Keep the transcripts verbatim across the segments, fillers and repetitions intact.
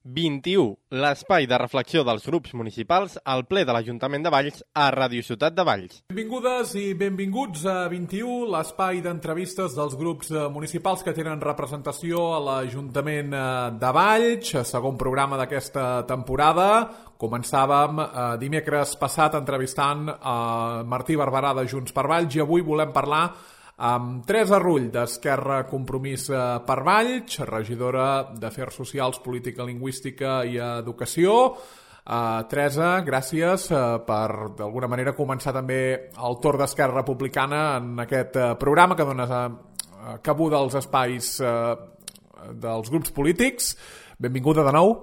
vint-i-u, l'espai de reflexió dels grups municipals al ple de l'Ajuntament de Valls a Ràdio Ciutat de Valls. Benvingudes i benvinguts a vint-i-u, l'espai d'entrevistes dels grups municipals que tenen representació a l'Ajuntament de Valls, segon programa d'aquesta temporada. Començàvem eh, dimecres passat entrevistant a Martí Barberà de Junts per Valls i avui volem parlar amb Teresa Rull, d'Esquerra Compromís per Valls, regidora d'Afers Socials, Política Lingüística i Educació. Uh, Teresa, gràcies uh, per, d'alguna manera, començar també el torn d'Esquerra Republicana en aquest uh, programa que dona uh, cabuda als espais uh, dels grups polítics. Benvinguda de nou.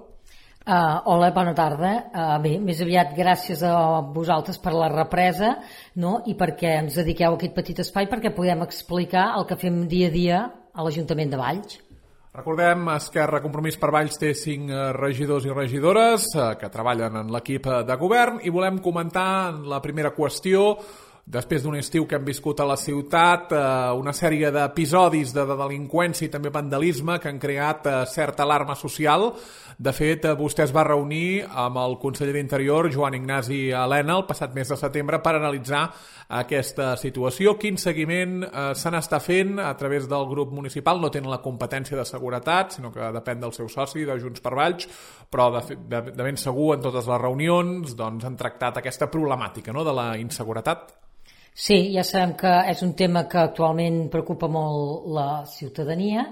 Uh, hola, bona tarda. Uh, bé, més aviat gràcies a vosaltres per la represa, no? I perquè ens dediqueu a aquest petit espai perquè podem explicar el que fem dia a dia a l'Ajuntament de Valls. Recordem, Esquerra Compromís per Valls té cinc regidors i regidores uh, que treballen en l'equip de govern i volem comentar la primera qüestió. Després d'un estiu que hem viscut a la ciutat, eh, una sèrie d'episodis de, de delinqüència i també vandalisme que han creat eh, certa alarma social. De fet, eh, vostè es va reunir amb el conseller d'Interior, Joan Ignasi Elena, el passat mes de setembre per analitzar aquesta situació. Quin seguiment eh, se n'està fent a través del grup municipal? No tenen la competència de seguretat, sinó que depèn del seu soci, de Junts per Valls, però de, de, de ben segur en totes les reunions doncs, han tractat aquesta problemàtica, no?, de la inseguretat. Sí, ja sabem que és un tema que actualment preocupa molt la ciutadania,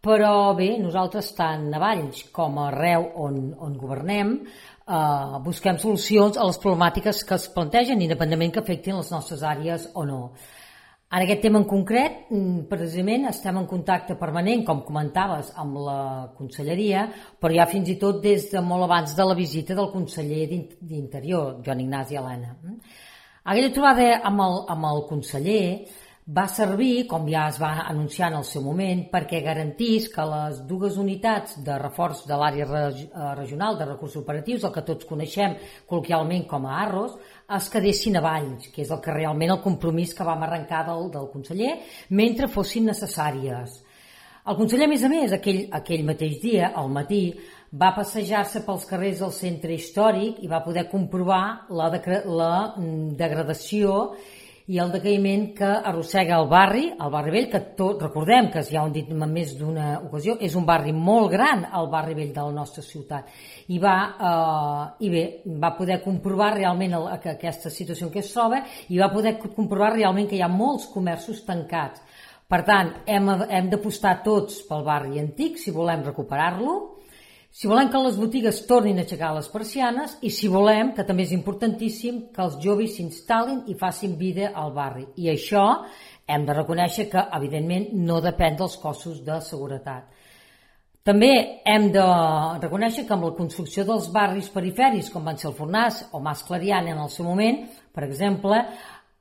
però bé, nosaltres tant a Valls com arreu on, on governem eh, busquem solucions a les problemàtiques que es plantegen, independentment que afectin les nostres àrees o no. En aquest tema en concret, precisament, estem en contacte permanent, com comentaves, amb la conselleria, però ja fins i tot des de molt abans de la visita del conseller d'Interior, Joan Ignasi Elena. Aquella trobada amb el, amb el conseller va servir, com ja es va anunciar en el seu moment, perquè garantís que les dues unitats de reforç de l'àrea regional de recursos operatius, el que tots coneixem col·loquialment com a ARROS, es quedessin a Valls, que és el que realment el compromís que vam arrencar del, del conseller, mentre fossin necessàries. El conseller, a més a més, aquell, aquell mateix dia, al matí, va passejar-se pels carrers del centre històric i va poder comprovar la, de, la degradació i el decaïment que arrossega el barri, el barri vell, que tot, recordem que ja ho hem dit en més d'una ocasió, és un barri molt gran, el barri vell de la nostra ciutat. I va, eh, i bé, va poder comprovar realment el, que aquesta situació en què es troba i va poder comprovar realment que hi ha molts comerços tancats. Per tant, hem, hem d'apostar tots pel barri antic si volem recuperar-lo, si volem que les botigues tornin a aixecar les persianes i si volem, que també és importantíssim, que els joves s'instal·lin i facin vida al barri. I això hem de reconèixer que, evidentment, no depèn dels cossos de seguretat. També hem de reconèixer que amb la construcció dels barris perifèrics, com van ser el Fornàs o Mas Clariana en el seu moment, per exemple,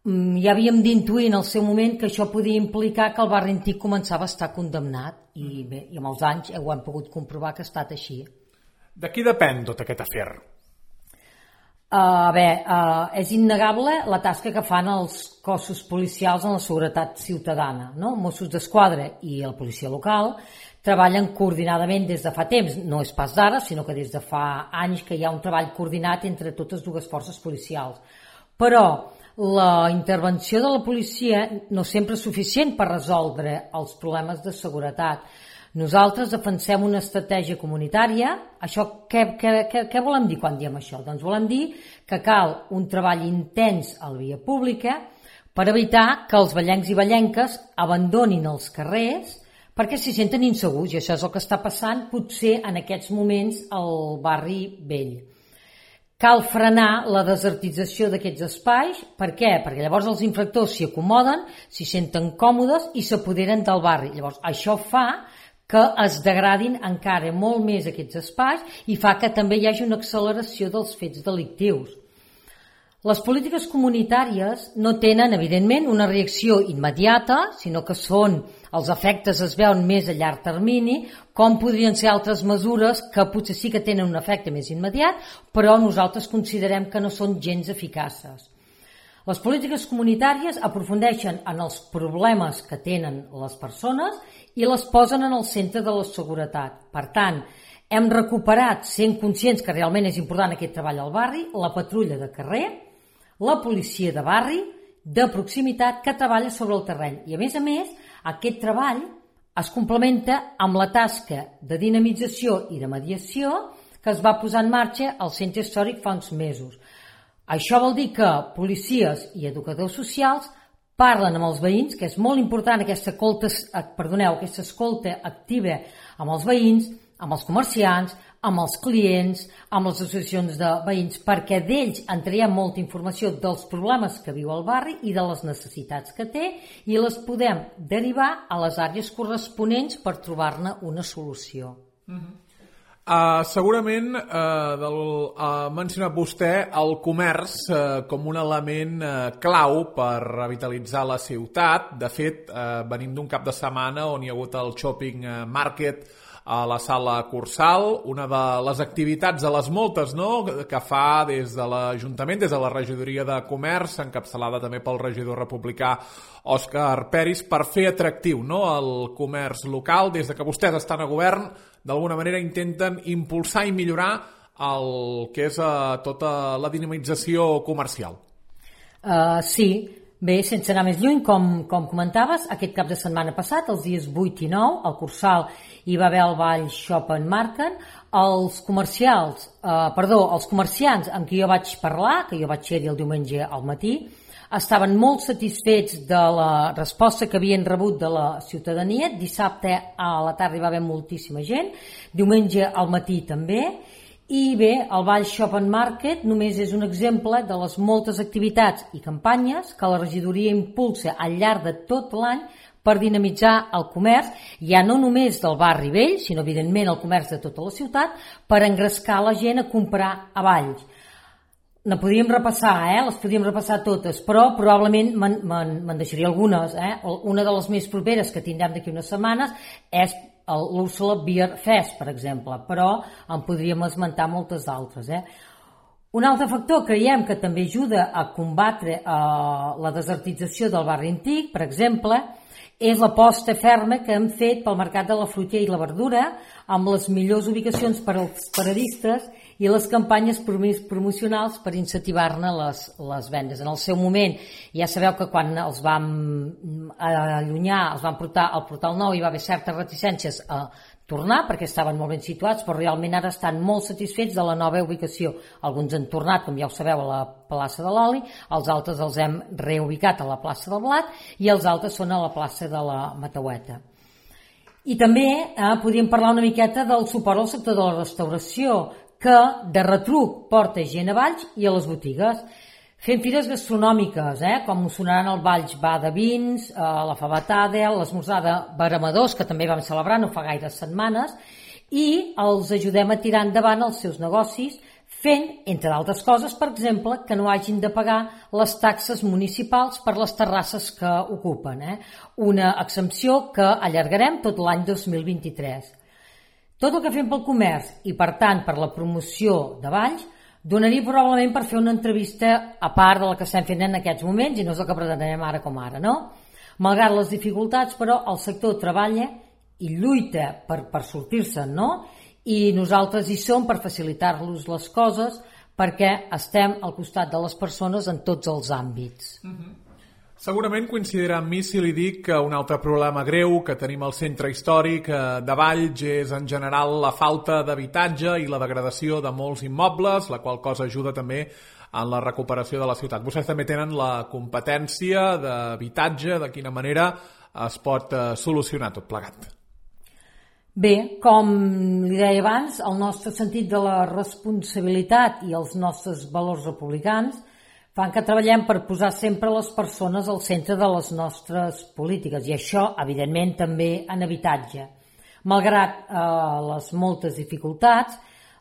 ja havíem d'intuir en el seu moment que això podia implicar que el barri antic començava a estar condemnat i bé, i amb els anys ho hem pogut comprovar que ha estat així. De qui depèn tot aquest afer? Uh, bé, uh, és innegable la tasca que fan els cossos policials en la seguretat ciutadana, no? Mossos d'Esquadra i la policia local treballen coordinadament des de fa temps, no és pas d'ara, sinó que des de fa anys que hi ha un treball coordinat entre totes dues forces policials. Però la intervenció de la policia no sempre és suficient per resoldre els problemes de seguretat. Nosaltres defensem una estratègia comunitària. Això, què, què, què, què volem dir quan diem això? Doncs volem dir que cal un treball intens a la via pública per evitar que els vallencs i vallenques abandonin els carrers perquè s'hi senten insegurs, i això és el que està passant potser en aquests moments al barri vell. Cal frenar la desertització d'aquests espais. Per què? Perquè llavors els infractors s'hi acomoden, s'hi senten còmodes i s'apoderen del barri. Llavors això fa que es degradin encara molt més aquests espais i fa que també hi hagi una acceleració dels fets delictius. Les polítiques comunitàries no tenen, evidentment, una reacció immediata, sinó que són, els efectes es veuen més a llarg termini, com podrien ser altres mesures que potser sí que tenen un efecte més immediat, però nosaltres considerem que no són gens eficaces. Les polítiques comunitàries aprofundeixen en els problemes que tenen les persones i les posen en el centre de la seguretat. Per tant, Hem recuperat, sent conscients que realment és important aquest treball al barri, la patrulla de carrer, la policia de barri, de proximitat, que treballa sobre el terreny. I a més a més, aquest treball es complementa amb la tasca de dinamització i de mediació que es va posar en marxa al centre històric fa uns mesos. Això vol dir que policies i educadors socials parlen amb els veïns, que és molt important aquesta escolta, perdoneu, aquesta escolta activa amb els veïns, amb els comerciants, amb els clients, amb les associacions de veïns, perquè d'ells en traiem molta informació dels problemes que viu el barri i de les necessitats que té i les podem derivar a les àrees corresponents per trobar-ne una solució. Mm-hmm. Uh, segurament uh, del, ha uh, mencionat vostè el comerç uh, com un element uh, clau per revitalitzar la ciutat. De fet, uh, venim d'un cap de setmana on hi ha hagut el shopping market a la sala Cursal, una de les activitats de les moltes, no?, que fa des de l'Ajuntament, des de la regidoria de comerç, encapçalada també pel regidor republicà Òscar Peris, per fer atractiu, no?, el comerç local. Des de que vostès estan a govern, d'alguna manera intenten impulsar i millorar el que és uh, tota la dinamització comercial. Uh, sí, bé, sense anar més lluny, com, com comentaves, aquest cap de setmana passat, els dies vuit i nou, al Cursal hi va haver el ball Shop and Market. Els comercials, eh, perdó, els comerciants amb qui jo vaig parlar, que jo vaig ser-hi el diumenge al matí, estaven molt satisfets de la resposta que havien rebut de la ciutadania. Dissabte a la tarda hi va haver moltíssima gent, diumenge al matí també. I bé, el Ball Shop and Market només és un exemple de les moltes activitats i campanyes que la regidoria impulsa al llarg de tot l'any per dinamitzar el comerç, ja no només del barri vell, sinó evidentment el comerç de tota la ciutat, per engrescar la gent a comprar a Valls. Ne podríem repassar, eh? les podríem repassar totes, però probablement me'n deixaria algunes. Eh? Una de les més properes que tindrem d'aquí unes setmanes és l'Úrsula Beer Fest, per exemple, però en podríem esmentar moltes altres. Eh? Un altre factor creiem que també ajuda a combatre eh, la desertització del barri antic, per exemple, és l'aposta ferma que hem fet pel mercat de la fruita i la verdura, amb les millors ubicacions per als paradistes i les campanyes promocionals per incentivar-ne les, les vendes. En el seu moment, ja sabeu que quan els vam allunyar, els vam portar al Portal Nou, hi va haver certes reticències a tornar perquè estaven molt ben situats, però realment ara estan molt satisfets de la nova ubicació. Alguns han tornat, com ja ho sabeu, a la plaça de l'Oli, els altres els hem reubicat a la plaça del Blat i els altres són a la plaça de la Mataueta. I també eh, podríem parlar una miqueta del suport al sector de la restauració, que de retruc porta gent a Valls i a les botigues. Fem fires gastronòmiques, eh, com us sonaran el Valls Bar de Vins, eh, la Fabatada, l'esmorzar de Baramadors, que també vam celebrar no fa gaires setmanes, i els ajudem a tirar endavant els seus negocis, fent, entre d'altres coses, per exemple, que no hagin de pagar les taxes municipals per les terrasses que ocupen. Eh? Una exempció que allargarem tot l'any dos mil vint-i-tres. Tot el que fem pel comerç i, per tant, per la promoció de Valls, donaria probablement per fer una entrevista a part de la que estem fent en aquests moments, i no és el que pretenem ara com ara, no? Malgrat les dificultats, però, el sector treballa i lluita per, per sortir-se'n, no? I nosaltres hi som per facilitar-los les coses perquè estem al costat de les persones en tots els àmbits. Mm-hmm. Segurament coincidirà amb mi si li dic que un altre problema greu que tenim al centre històric de Valls és en general la falta d'habitatge i la degradació de molts immobles, la qual cosa ajuda també en la recuperació de la ciutat. Vostès també tenen la competència d'habitatge, de quina manera es pot solucionar tot plegat. Bé, com li deia abans, el nostre sentit de la responsabilitat i els nostres valors republicans fan que treballem per posar sempre les persones al centre de les nostres polítiques, i això, evidentment, també en habitatge. Malgrat eh, les moltes dificultats,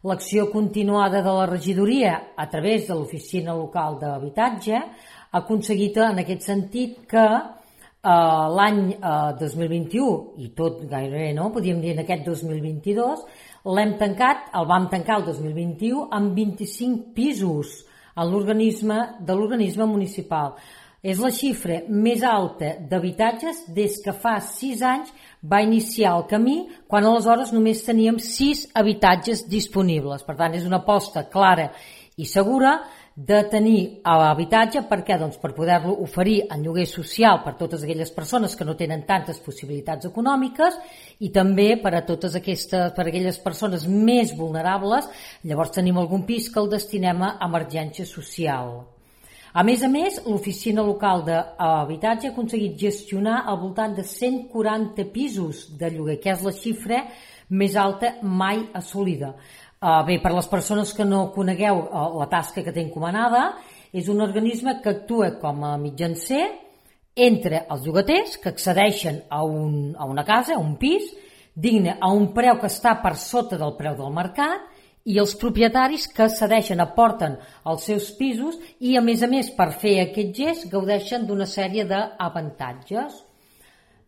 l'acció continuada de la regidoria a través de l'oficina local d'habitatge ha aconseguit en aquest sentit que eh, l'any eh, dos mil vint-i-u, i tot gairebé, no? Podríem dir en aquest dos mil vint-i-dos, l'hem tancat, el vam tancar el dos mil vint-i-u amb vint-i-cinc pisos en l'organisme de l'organisme municipal. És la xifra més alta d'habitatges des que fa sis anys va iniciar el camí, quan aleshores només teníem sis habitatges disponibles. Per tant, és una aposta clara i segura de tenir habitatge. Per què? Doncs per poder-lo oferir en lloguer social per totes aquelles persones que no tenen tantes possibilitats econòmiques i també per a totes aquestes, per a aquelles persones més vulnerables. Llavors tenim algun pis que el destinem a emergència social. A més a més, l'oficina local d'habitatge ha aconseguit gestionar al voltant de cent quaranta pisos de lloguer, que és la xifra més alta mai assolida. Uh, bé, per les persones que no conegueu uh, la tasca que té encomanada, és un organisme que actua com a mitjancer entre els llogaters que accedeixen a, un, a una casa, a un pis, digne a un preu que està per sota del preu del mercat, i els propietaris que cedeixen, aporten els seus pisos i, a més a més, per fer aquest gest, gaudeixen d'una sèrie d'avantatges.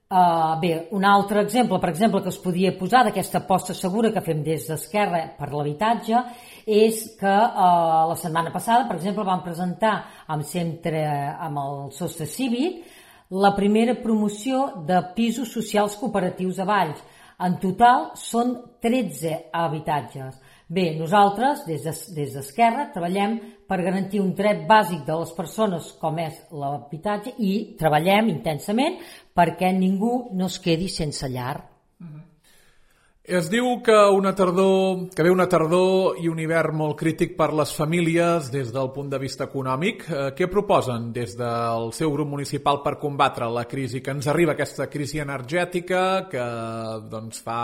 Uh, bé, un altre exemple, per exemple, que es podia posar d'aquesta aposta segura que fem des d'Esquerra per l'habitatge, és que uh, la setmana passada, per exemple, vam presentar amb, centre, amb el Sostre Cívic la primera promoció de pisos socials cooperatius a Valls. En total són tretze habitatges. Bé, nosaltres, des d'Esquerra, treballem per garantir un dret bàsic de les persones com és l'habitatge i treballem intensament perquè ningú no es quedi sense llar. Mm-hmm. Es diu que, una tardor, que ve una tardor i un hivern molt crític per les famílies des del punt de vista econòmic. Eh, què proposen des del seu grup municipal per combatre la crisi que ens arriba, aquesta crisi energètica que doncs, fa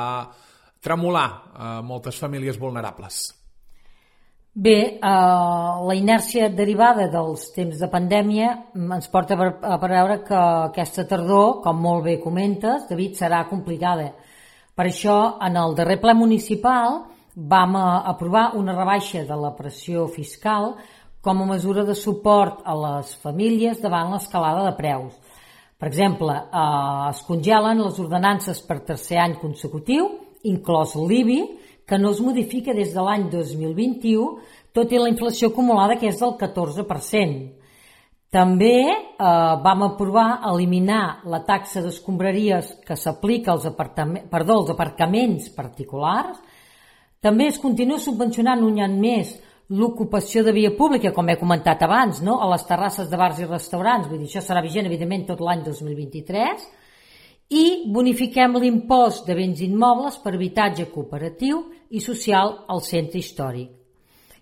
tremolar a moltes famílies vulnerables? Bé, eh, la inèrcia derivada dels temps de pandèmia ens porta a veure que aquesta tardor, com molt bé comentes, David, serà complicada. Per això, en el darrer ple municipal vam aprovar una rebaixa de la pressió fiscal com a mesura de suport a les famílies davant l'escalada de preus. Per exemple, eh, es congelen les ordenances per tercer any consecutiu, inclòs l'I B I, que no es modifica des de l'any dos mil vint-i-u, tot i la inflació acumulada, que és del catorze per cent. També eh, vam aprovar eliminar la taxa d'escombraries que s'aplica als, perdó, als aparcaments particulars. També es continua subvencionant un any més l'ocupació de via pública, com he comentat abans, no? A les terrasses de bars i restaurants. Vull dir, això serà vigent, evidentment, tot l'any dos mil vint-i-tres. I bonifiquem l'impost de béns immobles per habitatge cooperatiu i social al centre històric.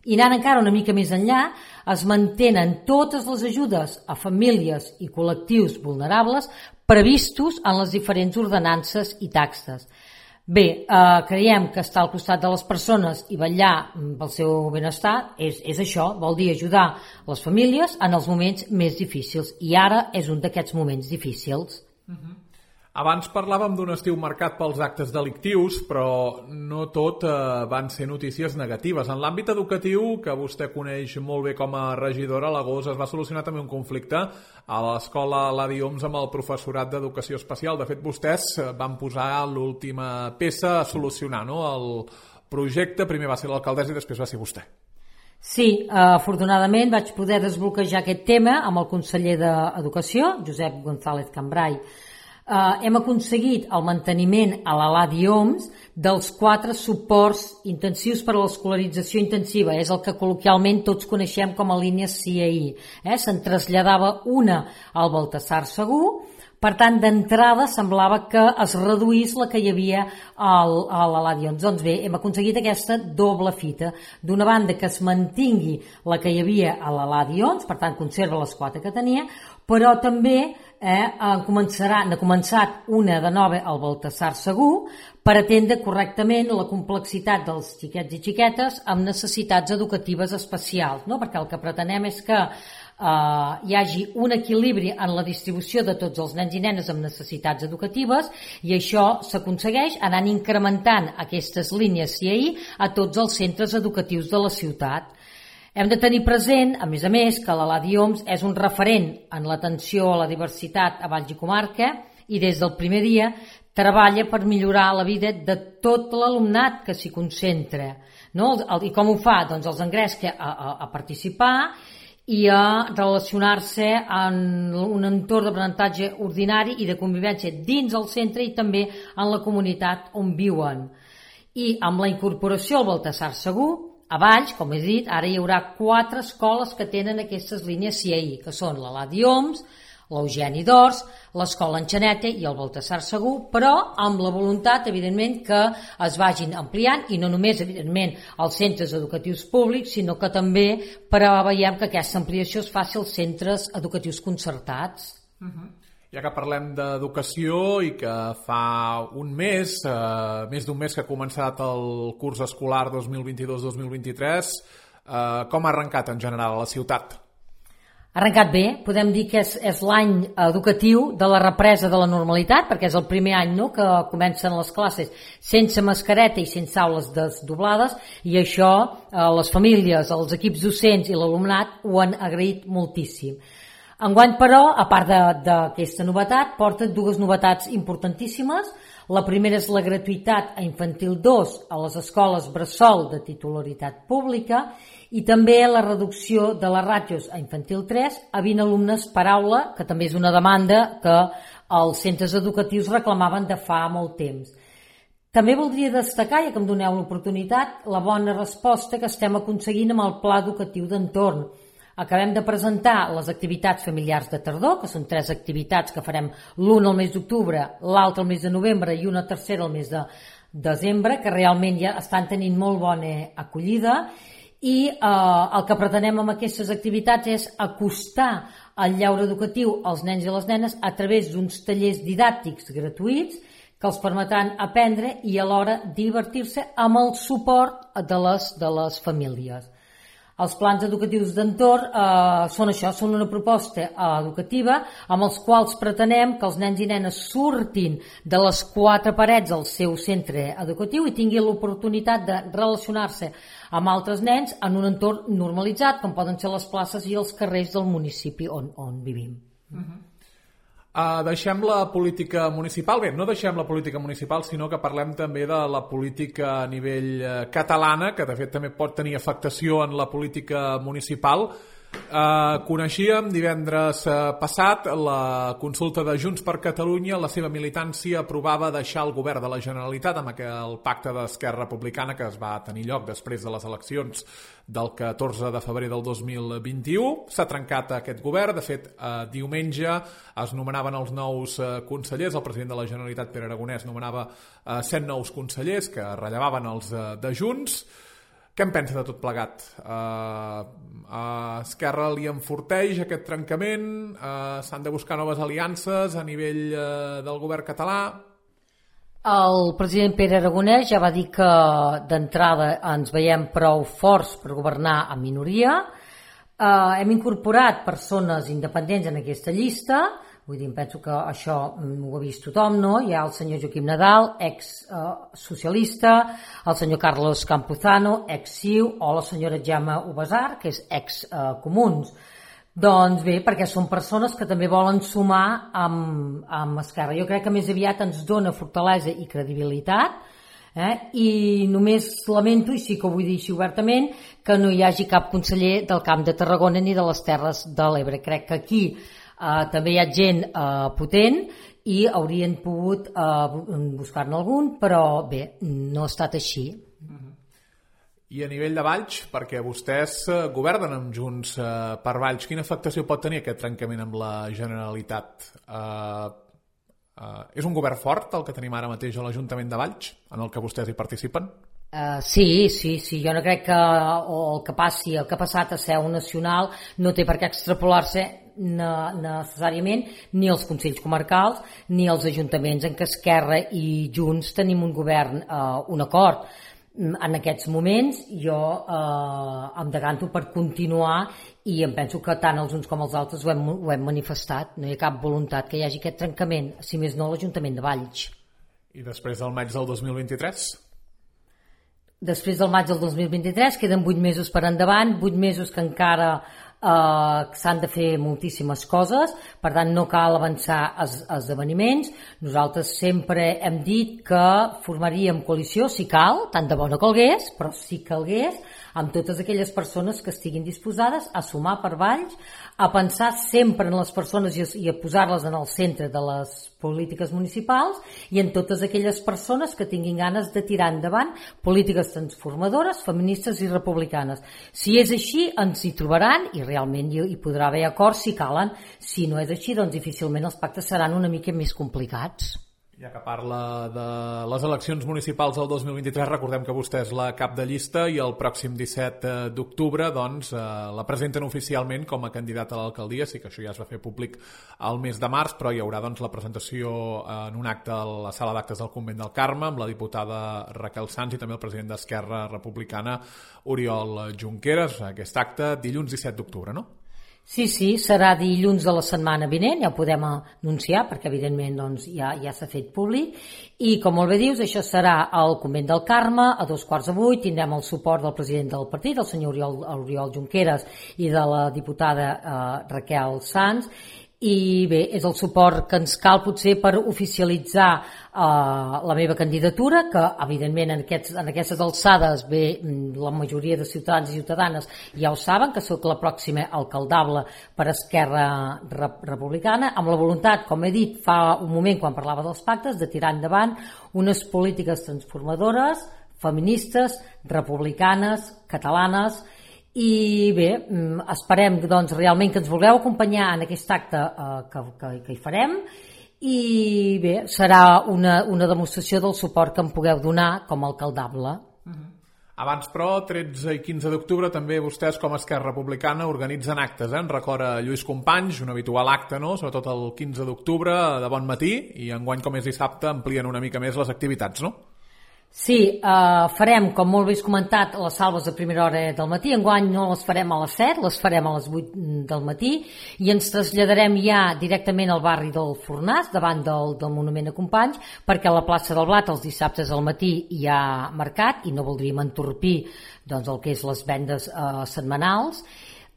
I anant encara una mica més enllà, es mantenen totes les ajudes a famílies i col·lectius vulnerables previstos en les diferents ordenances i taxes. Bé, eh, creiem que estar al costat de les persones i vetllar pel seu benestar és, és això, vol dir ajudar les famílies en els moments més difícils. I ara és un d'aquests moments difícils. Uh-huh. Abans parlàvem d'un estiu marcat pels actes delictius, però no tot eh, van ser notícies negatives. En l'àmbit educatiu, que vostè coneix molt bé com a regidora, a l'agost es va solucionar també un conflicte a l'escola Ladi Homs amb el professorat d'educació especial. De fet, vostès van posar l'última peça a solucionar, no? El projecte, primer va ser l'alcaldessa i després va ser vostè. Sí, afortunadament vaig poder desbloquejar aquest tema amb el conseller d'Educació, Josep González Cambrai. Uh, hem aconseguit el manteniment a la Ladi Homs dels quatre suports intensius per a l'escolarització intensiva. És el que col·loquialment tots coneixem com a línia C I I. Eh? Se'n traslladava una al Baltasar Segur. Per tant, d'entrada semblava que es reduís la que hi havia al, a la Ladi Homs. Doncs bé, hem aconseguit aquesta doble fita. D'una banda, que es mantingui la que hi havia a la Ladi Homs, per tant, conserva les quatre que tenia, però també eh, començarà, n'ha començat una de nova al Baltasar Segur per atendre correctament la complexitat dels xiquets i xiquetes amb necessitats educatives especials, no? Perquè el que pretenem és que Uh, hi hagi un equilibri en la distribució de tots els nens i nenes amb necessitats educatives i això s'aconsegueix anant incrementant aquestes línies C I I a tots els centres educatius de la ciutat. Hem de tenir present, a més a més, que la Ladi Homs és un referent en l'atenció a la diversitat a Valls i Comarca i des del primer dia treballa per millorar la vida de tot l'alumnat que s'hi concentra. No? I com ho fa? Doncs els engresca a, a, a participar i a relacionar-se en un entorn d'aprenentatge ordinari i de convivència dins el centre i també en la comunitat on viuen. I amb la incorporació al Baltasar Segur, a Valls, com he dit, ara hi haurà quatre escoles que tenen aquestes línies C I, que són la Ladi Oms, l'Eugeni d'Ors, l'Escola Enxaneta i el Baltasar Segur, però amb la voluntat, evidentment, que es vagin ampliant, i no només, evidentment, als centres educatius públics, sinó que també preveiem que aquesta ampliació es faci als centres educatius concertats. Uh-huh. Ja que parlem d'educació i que fa un mes, eh, més d'un mes que ha començat el curs escolar dos mil vint-i-dos dos mil vint-i-tres, eh, com ha arrencat en general a la ciutat? Ha arrencat bé, podem dir que és, és l'any educatiu de la represa de la normalitat, perquè és el primer any, no?, que comencen les classes sense mascareta i sense aules desdoblades, i això eh, les famílies, els equips docents i l'alumnat ho han agraït moltíssim. Enguany, però, a part d'aquesta novetat, porta dues novetats importantíssimes. La primera és la gratuïtat a infantil dos a les escoles bressol de titularitat pública i també la reducció de les ràtios a infantil tres a vint alumnes per aula, que també és una demanda que els centres educatius reclamaven de fa molt temps. També voldria destacar, ja que em doneu l'oportunitat, la bona resposta que estem aconseguint amb el Pla Educatiu d'Entorn. Acabem de presentar les activitats familiars de tardor, que són tres activitats que farem, l'una al mes d'octubre, l'altra al mes de novembre i una tercera al mes de desembre, que realment ja estan tenint molt bona acollida, i eh, el que pretenem amb aquestes activitats és acostar el lleure educatiu als nens i les nenes a través d'uns tallers didàctics gratuïts que els permetran aprendre i alhora divertir-se amb el suport de les, de les famílies. Els plans educatius d'entorn eh, són això, són una proposta eh, educativa amb els quals pretenem que els nens i nenes surtin de les quatre parets del seu centre educatiu i tinguin l'oportunitat de relacionar-se amb altres nens en un entorn normalitzat, com poden ser les places i els carrers del municipi on, on vivim. Uh-huh. Uh, deixem la política municipal, bé, no deixem la política municipal, sinó que parlem també de la política a nivell uh, catalana, que de fet també pot tenir afectació en la política municipal. Uh, coneixíem divendres uh, passat la consulta de Junts per Catalunya. La seva militància aprovava deixar el govern de la Generalitat amb aquell pacte d'Esquerra Republicana que es va tenir lloc després de les eleccions del catorze de febrer del dos mil vint-i-u. S'ha trencat aquest govern. De fet, eh, diumenge es nomenaven els nous eh, consellers. El president de la Generalitat, Pere Aragonès, nomenava eh, cent nous consellers que rellevaven els eh, de Junts. Què en pensa de tot plegat? Uh, a Esquerra li enforteix aquest trencament? Uh, S'han de buscar noves aliances a nivell uh, del govern català? El president Pere Aragonès ja va dir que d'entrada ens veiem prou forts per governar en minoria. Uh, hem incorporat persones independents en aquesta llista. Vull dir, em penso que això ho ha vist tothom, no? Hi ha el senyor Joaquim Nadal, ex-socialista, el senyor Carlos Campuzano, ex-C I U, o la senyora Gemma Ubasar, que és ex-Comuns. Doncs bé, perquè són persones que també volen sumar amb, amb Esquerra. Jo crec que més aviat ens dona fortalesa i credibilitat, eh? I només lamento, i sí que ho vull dir així obertament, que no hi hagi cap conseller del Camp de Tarragona ni de les Terres de l'Ebre. Crec que aquí Uh, també hi ha gent uh, potent i haurien pogut uh, buscar-ne algun, però bé, no ha estat així. Uh-huh. I a nivell de Valls, perquè vostès uh, governen amb Junts uh, per Valls, quina afectació pot tenir aquest trencament amb la Generalitat? Uh, uh, és un govern fort el que tenim ara mateix a l'Ajuntament de Valls, en el que vostès hi participen? Uh, sí, sí, sí, jo no crec que o el que passi, el que ha passat a Seu Nacional no té per què extrapolar-se necessàriament ni els consells comarcals ni els ajuntaments en què Esquerra i Junts tenim un govern, eh, un acord. En aquests moments jo eh, em decanto per continuar i em penso que tant els uns com els altres ho hem, ho hem manifestat. No hi ha cap voluntat que hi hagi aquest trencament, si més no l'Ajuntament de Valls. I després del maig del dos mil vint-i-tres? Després del maig del dos mil vint-i-tres queden vuit mesos per endavant, vuit mesos que encara eh, s'han de fer moltíssimes coses, per tant no cal avançar els esdeveniments. Nosaltres sempre hem dit que formaríem coalició, si cal, tant de bo no calgués, però si calgués, amb totes aquelles persones que estiguin disposades a sumar per Valls, a pensar sempre en les persones i a posar-les en el centre de les polítiques municipals i en totes aquelles persones que tinguin ganes de tirar endavant polítiques transformadores, feministes i republicanes. Si és així, ens hi trobaran i realment hi podrà haver acords si calen. Si no és així, doncs difícilment els pactes seran una mica més complicats. Ja que parla de les eleccions municipals del dos mil vint-i-tres, recordem que vostè és la cap de llista i el pròxim disset d'octubre doncs, eh, la presenten oficialment com a candidata a l'alcaldia. Sí que això ja es va fer públic al mes de març, però hi haurà doncs, la presentació en un acte a la sala d'actes del Convent del Carme amb la diputada Raquel Sans i també el president d'Esquerra Republicana, Oriol Junqueras. Aquest acte dilluns disset d'octubre, no? Sí, sí, serà dilluns de la setmana vinent, ja ho podem anunciar perquè evidentment doncs, ja, ja s'ha fet públic i com molt bé dius, això serà al Convent del Carme a dos quarts de vuit. Tindrem el suport del president del partit, el senyor Oriol, Oriol Junqueras, i de la diputada eh, Raquel Sans. I bé, és el suport que ens cal potser per oficialitzar eh, la meva candidatura, que evidentment en, aquests, en aquestes alçades bé, la majoria de ciutadans i ciutadanes ja ho saben, que sóc la pròxima alcaldable per Esquerra Republicana, amb la voluntat, com he dit fa un moment quan parlava dels pactes, de tirar endavant unes polítiques transformadores, feministes, republicanes, catalanes. I bé, esperem doncs, realment que ens vulgueu acompanyar en aquest acte eh, que, que, que hi farem i bé, serà una, una demostració del suport que em pugueu donar com a alcaldable. Uh-huh. Abans, però, tretze i quinze d'octubre també vostès com a Esquerra Republicana organitzen actes, eh? En record a Lluís Companys, un habitual acte, no? Sobretot el quinze d'octubre de bon matí, i enguany com és dissabte amplien una mica més les activitats, no? Sí, eh, farem, com molt bé has comentat, les salves a primera hora del matí. Enguany no les farem a les set, les farem a les vuit del matí i ens traslladarem ja directament al barri del Fornàs, davant del, del Monument a Companys, perquè a la plaça del Blat els dissabtes al matí hi ha mercat i no voldríem entorpir doncs, el que és les vendes eh, setmanals.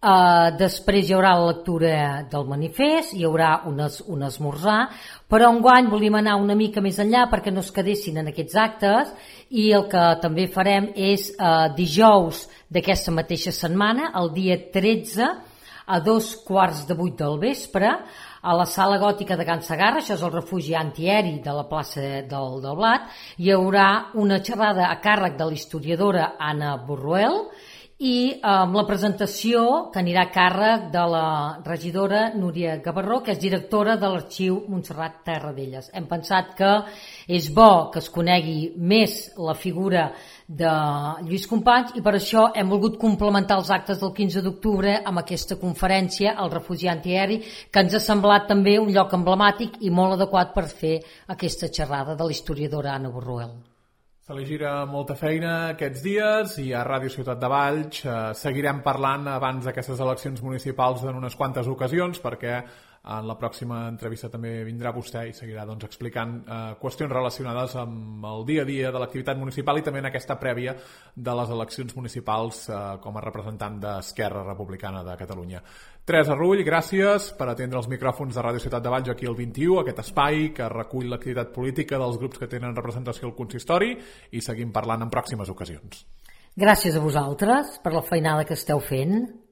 Uh, després hi haurà la lectura del manifest, hi haurà un, es, un esmorzar, però enguany volíem anar una mica més enllà perquè no es quedessin en aquests actes i el que també farem és uh, dijous d'aquesta mateixa setmana, el dia tretze, a dos quarts de vuit del vespre, a la sala gòtica de Can Segarra, això és el refugi antiaeri de la plaça del, del Blat, hi haurà una xerrada a càrrec de l'historiadora Anna Borruel i amb la presentació que anirà a càrrec de la regidora Núria Gavarró, que és directora de l'Arxiu Montserrat Terradellas. Hem pensat que és bo que es conegui més la figura de Lluís Companys i per això hem volgut complementar els actes del quinze d'octubre amb aquesta conferència al refugi antiaeri, que ens ha semblat també un lloc emblemàtic i molt adequat per fer aquesta xerrada de l'historiadora Anna Borruel. Se li gira molta feina aquests dies i a Ràdio Ciutat de Valls eh, seguirem parlant abans d'aquestes eleccions municipals en unes quantes ocasions perquè en la pròxima entrevista també vindrà vostè i seguirà doncs, explicant eh, qüestions relacionades amb el dia a dia de l'activitat municipal i també en aquesta prèvia de les eleccions municipals eh, com a representant d'Esquerra Republicana de Catalunya. Teresa Rull, gràcies per atendre els micròfons de Ràdio Ciutat de Valls aquí al vint-i-u, aquest espai que recull l'activitat política dels grups que tenen representació al consistori i seguim parlant en pròximes ocasions. Gràcies a vosaltres per la feinada que esteu fent.